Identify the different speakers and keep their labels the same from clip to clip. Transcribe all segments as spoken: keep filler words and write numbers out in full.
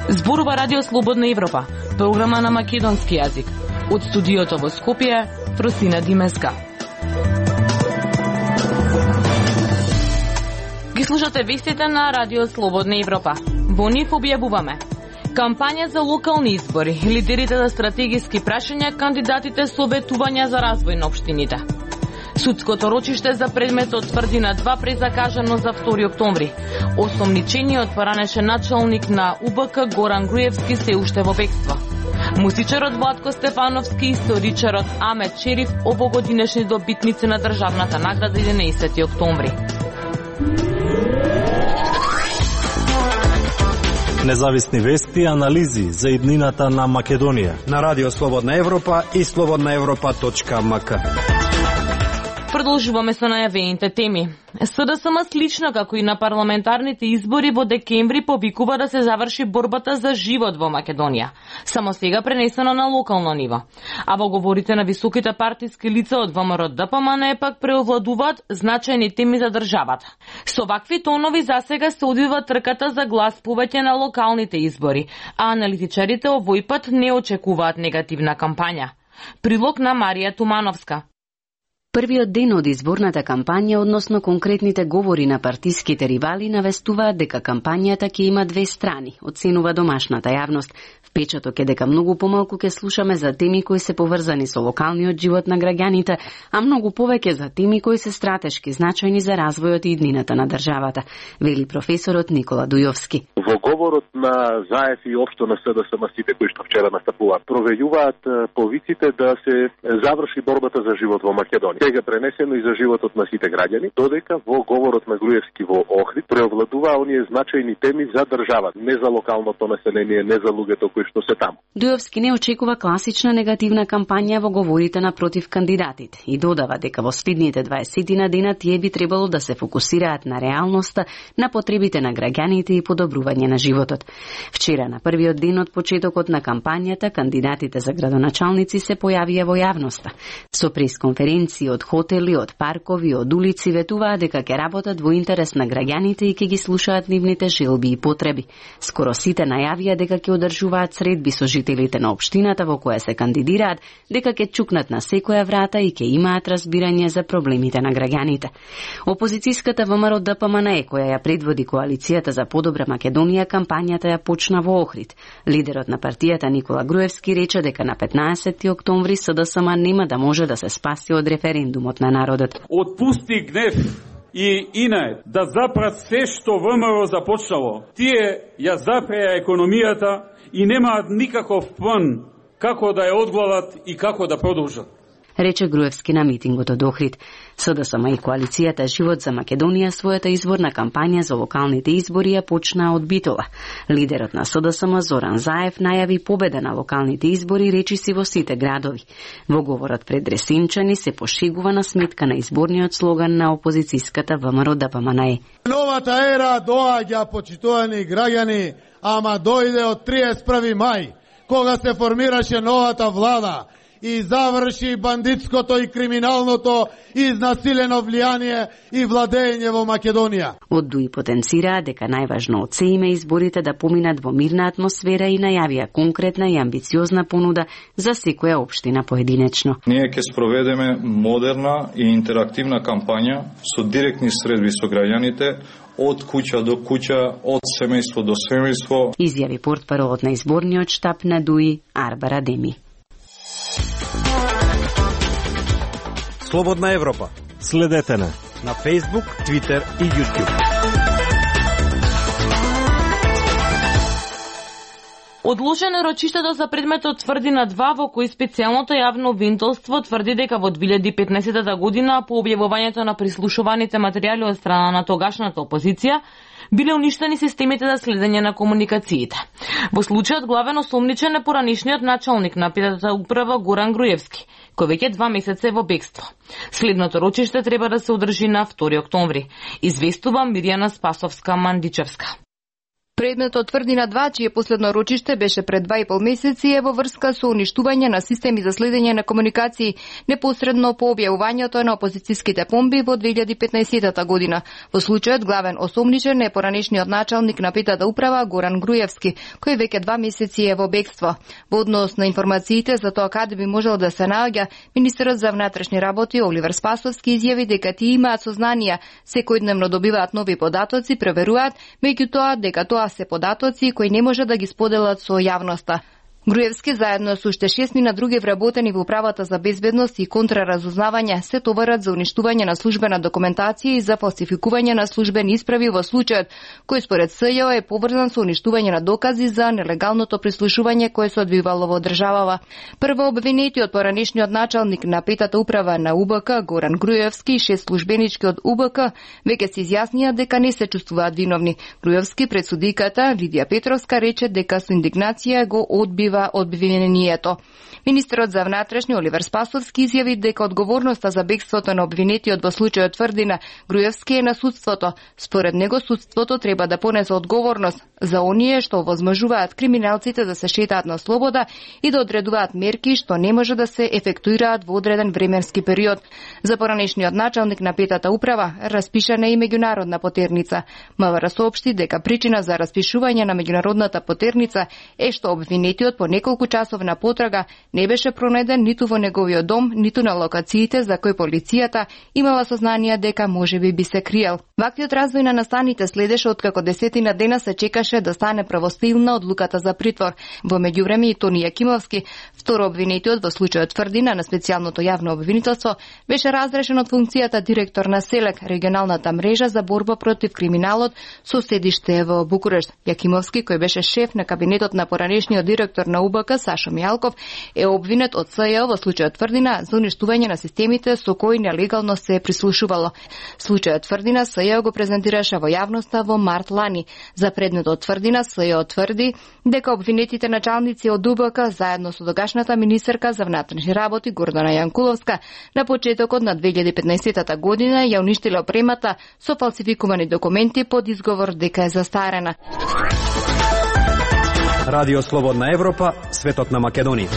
Speaker 1: Зборува Радио Слободна Европа, програма на македонски јазик. Од студиото во Скопје, Фросина Димеска. Ги слушате вестите на Радио Слободна Европа. Во нив објавуваме: кампања за локални избори, лидерите за стратегиски прашања, кандидатите советувања за развој на општините. Судското рочиште за предметот Тврдина два презакажано за втори октомври. Осомничениот поранешен началник на У Б К Горан Груевски се уште во бегство. Музичарот Владко Стефановски и историчарот Амет Шериф овогодинешни добитници на државната награда единаесети октомври.
Speaker 2: Независни вести и анализи за иднината на Македонија
Speaker 3: на Радио Слободна Европа и слободна европа точка м к.
Speaker 1: Продолжуваме со најавените теми. С Д С М слично како и на парламентарните избори во декември повикува да се заврши борбата за живот во Македонија, само сега пренесено на локално ниво. А во говорите на високите партиски лица од В М Р Д П М Н пак преовладуваат значајни теми за државата. Со вакви тонови засега се одвива трката за глас повеќе на локалните избори, а аналитичарите овој пат не очекуваат негативна кампања. Прилог на Марија Тумановска.
Speaker 4: Првиот ден од изборната кампања, односно конкретните говори на партиските ривали, навестуваат дека кампањата ќе има две страни, оценува домашната јавност. Впечаток е дека многу помалку ќе слушаме за теми кои се поврзани со локалниот живот на граѓаните, а многу повеќе за теми кои се стратешки значајни за развојот и иднината на државата, вели професорот Никола Дујовски.
Speaker 5: Во говорот на Заев и општо на С Д С М сите кои што вчера настапуваат, провејуваат повиците да се заврши борбата за живот во Македонија. Сега пренесено и за животот на сите граѓани, додека во говорот на Груевски во Охрид преовладуваа оние значајни теми за државата, не за локалното население, не за луѓето кои што се таму.
Speaker 4: Дујовски не очекува класична негативна кампања во говорите на против кандидатите и додава дека во следните дваесет на дена тие би требало да се фокусираат на реалноста, на потребите на граѓаните и подобрување на животот. Вчера на првиот ден од почетокот на кампањата, кандидатите за градоначалници се појавија во јавноста. Со пресконференции од хотели, од паркови, од улици ветуваа дека ќе работат во интерес на граѓаните и ќе ги слушаат нивните желби и потреби. Скоро сите најавија дека ќе одржуваат средби со жителите на општината во која се кандидираат, дека ќе чукнат на секоја врата и ќе имаат разбирање за проблемите на граѓаните. Опозицијската В М Р Д П М Н, која ја предводи коалицијата за подобра Македонија, кампањата ја почна во Охрид. Лидерот на партијата Никола Груевски рече дека на петнаесети октомври С Д С М нема да може да се спаси од референдумот на народот.
Speaker 6: Отпусти гнев и инает да запрат се што В М Р започнало. Тие ја запреа економијата и немаат никаков план како да ја одглават и како да продолжат,
Speaker 4: рече Груевски на митингот од Охрид. С Д С М и коалицијата Живот за Македонија својата изборна кампања за локалните избори ја почнаа од Битола. Лидерот на С Д С М Зоран Заев најави победа на локалните избори речиси во сите градови. Во говорот пред Ресинчани се пошегува на сметка на изборниот слоган на опозицијската В М Р Д П М Н.
Speaker 7: Новата ера доаѓа, почитувани граѓани, ама дојде од триесет и први мај, кога се формираше новата влада и заврши бандитското и криминалното изнасилено влијание и владење во Македонија.
Speaker 4: Од Дуи потенцираа дека најважно од се име изборите да поминат во мирна атмосфера и најавија конкретна и амбициозна понуда за секоја општина поединечно.
Speaker 8: Ние ќе спроведеме модерна и интерактивна кампања со директни средби со граѓаните, од куќа до куќа, од семејство до семејство,
Speaker 4: изјави портпаролот на изборниот штаб на Дуи Арбара Деми.
Speaker 3: Слободна Европа.
Speaker 2: Следете на
Speaker 3: на Facebook, Twitter и YouTube.
Speaker 1: Одложено рочиштето за предметот Тврдина два, во кој специјалното јавно обвинителство тврди дека во две илјади и петнаесета година по објавувањето на прислушуваните материјали од страна на тогашната опозиција биле уништени системите за следење на комуникациите. Во случајот главен осомничен е поранишниот началник на петата управа Горан Груевски, кој веќе два месеца е во бегство. Следното рочиште треба да се одржи на втори октомври, известува Мирјана Спасовска-Мандичевска.
Speaker 9: Предметот Тврдина два, чие последно рочиште беше пред два и пол месеци, е во врска со уништување на системи за следење на комуникации непосредно по објавувањето на опозицијските бомби во две илјади и петнаесетта година. Во случајот главен осомничен е поранешниот началник на петата управа Горан Груевски, кој веќе два месеци е во бегство. Во однос на информациите за тоа каде би можел да се наоѓа, министерот за внатрешни работи Оливер Спасовски изјави дека тие имаат сознанија, секојдневно добиваат нови податоци, проверуваат, меѓутоа дека тоа се податоци кои не може да ги споделат со јавноста. Груевски заедно со уште шестмина други вработени во управата за безбедност и контраразузнавање се товарат за уништување на службена документација и за фалсификување на службени исправи во случајот кој според СЈО е поврзан со уништување на докази за нелегалното прислушување кое се одвивало во државава. Прво обвинетиот поранешниот началник на петата управа на У Б К Горан Груевски и шест службенички од У Б К веќе се изјаснија дека не се чувствуваат виновни. Груевски пред судиката Лидија Петровска рече дека со индигнација го одбива обвинението. Министерот за внатрешни Оливер Спасовски изјави дека одговорноста за бегството на обвинетиот во случајот Тврдина Груевски е на судството. Според него судството треба да понесе одговорност за оние што возможуваат криминалците да се шетаат на слобода и да одредуваат мерки што не може да се ефектуираат во одреден временски период. За поранешниот началник на петата управа распишана е и меѓународна потерница. МВР соопшти дека причина за распишување на меѓународната потерница е што обвинетиот по неколку часовна потрага не беше пронајден ниту во неговиот дом, ниту на локациите за кои полицијата имала сознание дека можеби би се криел. Ваквиот развој на настаните следеше откако десетина дена се чекаше да стане правосилна одлуката за притвор. Во меѓувреме и Тони Јакимовски, второ обвинетиот во случајот Тврдина на специјалното јавно обвинителство, беше разрешен од функцијата директор на СЕЛЕК, регионалната мрежа за борба против криминалот со седиште во Букурешт. Јакимовски, кој беше шеф на кабинетот на поранешниот директор на У Б К Сашо Мијалков, е обвинет од СЈО во случајот Тврдина за уништување на системите со кои нелегално се прислушувало. Случајот Тврдина СЈО го презентираше во јавноста во март лани. За предметот Тврдина СЈО тврди дека обвинетите началници од У Б К заедно со тогашната министерка за внатрешни работи Гордана Јанкуловска на почетокот на две илјади и петнаесетта година ја уништиле опремата со фалсификувани документи под изговор дека е застарена.
Speaker 3: Радио Слободна Европа, светот на Македонија.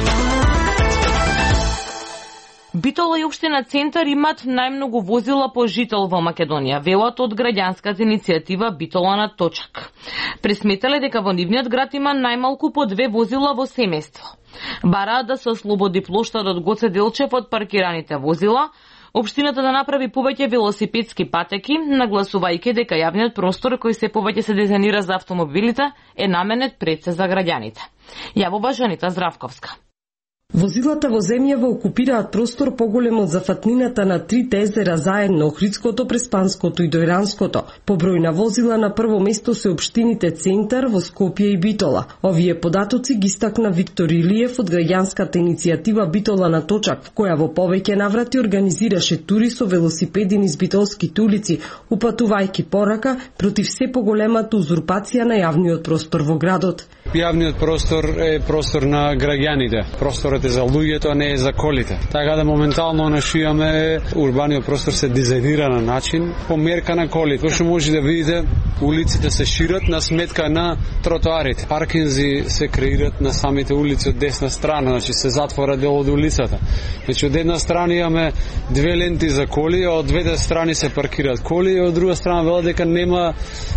Speaker 1: Битола и општина Центар имат најмногу возила по жител во Македонија, велат од граѓанската иницијатива Битола на точак. Пресметале дека во нивниот град има најмалку по две возила во семејство. Бараат да се ослободи плоштадот Гоце Делчев од паркираните возила, општината да направи повеќе велосипедски патеки, нагласувајќи дека јавниот простор кој се повеќе се дизајнира за автомобилите е наменет пред се за граѓаните. Јавува Жанита Здравковска.
Speaker 10: Возилата во земјава окупираат простор поголем од зафатнината на трите езера заедно, Охридското, Преспанското и Дојранското. По број на возила на прво место се општините Центар, во Скопје и Битола. Овие податоци ги стакна Виктор Илиев од граѓанската иницијатива Битола на точак, која во повеќе наврати организираше тури со велосипеди низ битолските улици, упатувајќи порака против се поголемата узурпација на јавниот простор во градот.
Speaker 11: Јавниот простор е простор на граѓаните. Просторот е за луѓето, а не е за колите. Така да моментално нашијаме урбаниот простор се дизајнира на начин по мерка на колите. Што може да видите, улиците се шират на сметка на тротоарите. Паркинзи се креират на самите улици од десна страна, значи се затвора дел од улицата. Значи од една страна имаме две ленти за коли, а од двете страни се паркираат коли, и од друга страна велат дека нема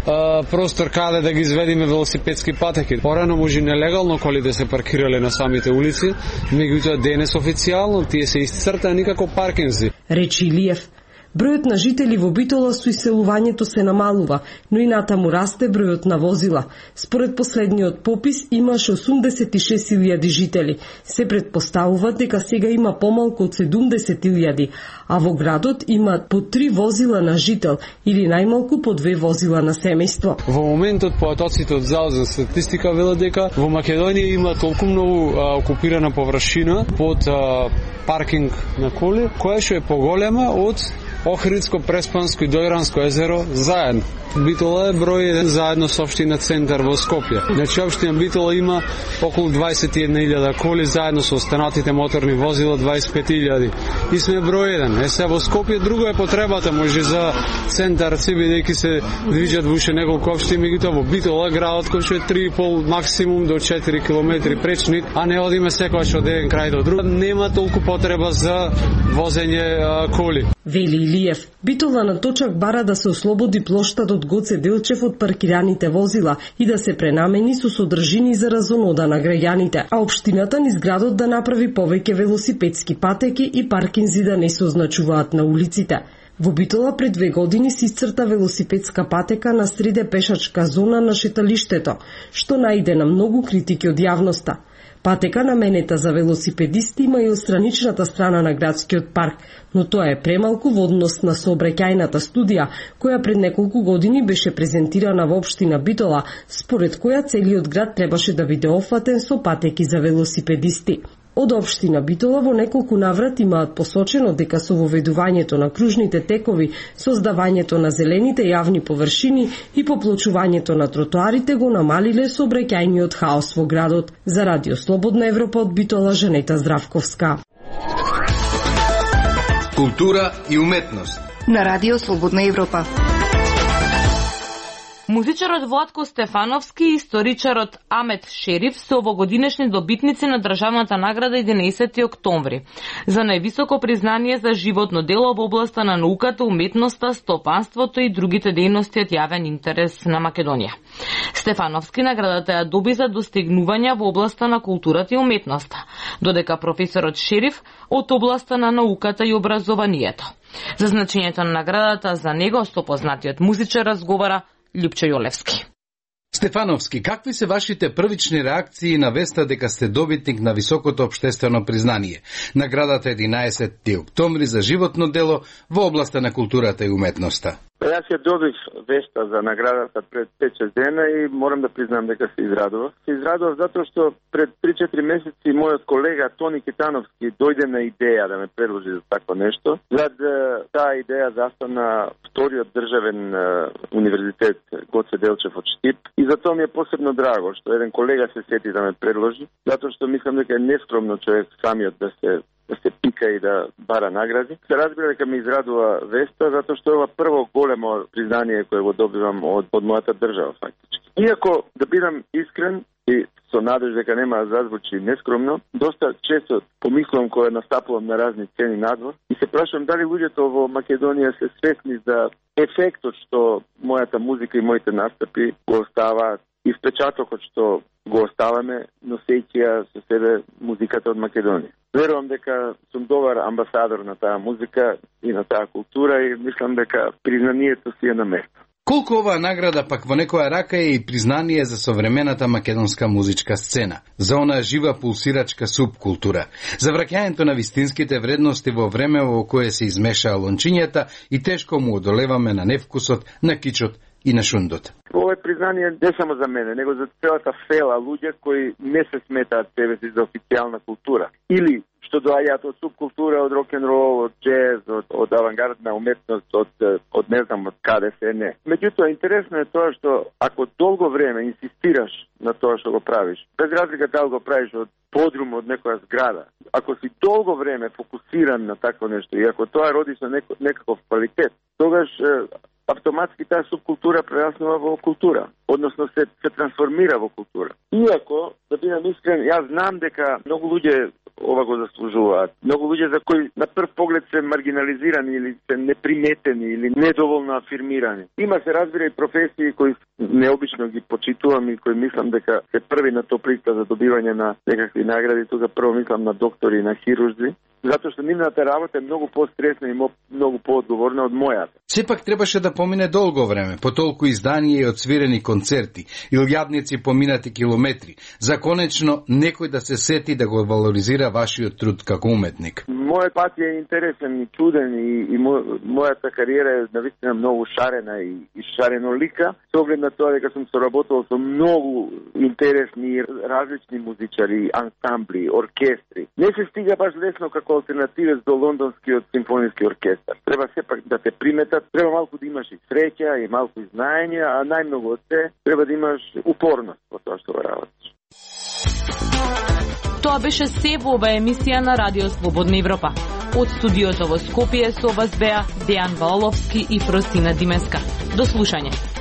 Speaker 11: а, простор каде да ги изведиме велосипедски патеки. Порано може нелегално колите се паркирале на самите улици, меѓутоа денес официјално тие се исцртани како паркинзи.
Speaker 10: Речи Илиев. Бројот на жители во Битола со иселувањето се намалува, но и натаму расте бројот на возила. Според последниот попис имаше осумдесет и шест илјади жители. Се претпоставува дека сега има помалку од седумдесет илјади, а во градот има по три возила на жител или најмалку по две возила на семејство.
Speaker 11: Во моментот податоците од Завод за статистика велат дека во Македонија има толку многу а, окупирана површина под а, паркинг на коли, која што е поголема од Охридско-Преспанско и Дојранско езеро заедно. Битола е број еден заедно со општина Центар во Скопје. Значи општина Битола има околу дваесет и една илјада коли заедно со останатите моторни возила дваесет и пет илјади. И сме број еден. Е се во Скопје друго е потребата може за центар си бидејќи се движат во уште неколку општини, меѓутоа во Битола градот кој што е три и пол максимум до четири километри пречни, а не одиме секогаш од еден крај до друг. Нема толку потреба за возење а, коли.
Speaker 10: Вели Илиев, Битола на точак бара да се ослободи плоштадот Гоце Делчев од паркираните возила и да се пренамени со содржини за разонода на граѓаните, а општината низ градот да направи повеќе велосипедски патеки и паркинзи да не се означуваат на улиците. Во Битола пред две години се исцрта велосипедска патека на среде пешачка зона на шеталиштето, што најде на многу критики од јавноста. Патека наменета за велосипедисти има и од страничната страна на градскиот парк, но тоа е премалку во однос на сообраќајната студија, која пред неколку години беше презентирана во општина Битола, според која целиот град требаше да биде офатен со патеки за велосипедисти. Од општина Битола во неколку наврати имаат посочено дека со воведувањето на кружните текови, создавањето на зелените јавни површини и поплочувањето на тротоарите го намалиле сообраќајниот хаос во градот. За Радио Слободна Европа од Битола, Жанета Здравковска.
Speaker 12: Култура и уметност
Speaker 9: на Радио Слободна Европа.
Speaker 1: Музичарот Владко Стефановски и историчарот Амет Шериф се овогодинешни добитници на државната награда единаесети октомври за највисоко признание за животно дело во областа на науката, уметноста, стопанството и другите дејности од јавен интерес на Македонија. Стефановски наградата ја доби за достигнувања во областа на културата и уметноста, додека професорот Шериф од областа на науката и образованието. За значењето на наградата за него со познатиот музичар разговара Љупчо Јолевски.
Speaker 12: Стефановски, какви се вашите првични реакции на веста дека сте добитник на високото општествено признание? Наградата единаесети октомври за животно дело во областа на културата и уметноста.
Speaker 5: Јас ја добив веста за наградата пред пет-шест дена и морам да признам дека се израдував. Се израдував затоа што пред три-четири месеци мојот колега Тони Китановски дојде на идеја да ме предложи за такво нешто. Зад таа идеја застана вториот државен универзитет Гоце Делчев од Штип и затоа ми е посебно драго што еден колега се сети да ме предложи, затоа што мислам дека е нескромно човек самиот да се да се пика и да бара награди. Се разбира дека ме израдува веста, затоа што е ова прво големо признание кое го добивам од, од мојата држава, фактички. Иако, да бидам искрен и со надеж дека нема да зазвучи нескромно, доста често помислам кога настапувам на разни сцени надвор и се прашувам дали луѓето во Македонија се свесни за ефектот што мојата музика и моите настапи го оставаат и впечатокот што го оставаме, носејќи ја со себе музиката од Македонија. Верувам дека сум добар амбасадор на таа музика и на таа култура и мислам дека признанието си е на место.
Speaker 12: Колку оваа награда пак во некоја рака е и признание за современата македонска музичка сцена, за онаа жива пулсирачка субкултура, за враќањето на вистинските вредности во време во кое се измешаа лончињата и тешко му одолеваме на невкусот, на кичот и на шундот.
Speaker 5: Ова е признание не само за мене, него за целата фела луѓе кои не се сметаат себе си за официјална култура. Или што доаѓаат од субкултура, од рок-н-рол, од джез, од, од авангардна уметност, од, од не знам од каде се не. Меѓутоа, интересно е тоа што ако долго време инсистираш на тоа што го правиш, без разлика дали го правиш од подрум од некоја зграда, ако си долго време фокусиран на такво нешто и ако тоа роди со неко, некаков квалитет, тогаш автоматски таа субкултура прераснува во култура, односно се, се трансформира во култура. Иако, да бидам искрен, јас знам дека многу луѓе ова го заслужуваат. Многу луѓе за кои на прв поглед се маргинализирани или се неприметени или недоволно афирмирани. Има се разбира и професии кои необично ги почитувам и кои мислам дека се први на топ листа за добивање на некакви награди. Тука прво мислам на доктори и на хирурзи, затоа што нивната работа е многу постресна и многу поодговорна од мојата.
Speaker 12: Сепак требаше да помине долго време, по толку изданија и одсвирени концерти, илјадници поминати километри, за конечно некој да се сети да го валоризира вашиот труд како уметник.
Speaker 5: Мојот пат е интересен и чуден и, и мо, мојата кариера е навистина многу шарена и, и шарено лика, со оглед на тоа дека сум соработувал со многу интересни различни музичари, ансамбли, оркестри. Не се стига баш лесно како
Speaker 13: алтернативец до лондонскиот симфониски оркестар. Треба сепак да те приметат, треба малку да имаш и среќа и малку и знаење, а најмногу од се треба да имаш упорност во тоа што го работиш.
Speaker 1: Тоа беше се во ова емисија на Радио Слободна Европа. Од студиото во Скопје со вас беа Дејан Валовски и Фросина Димеска. До слушање.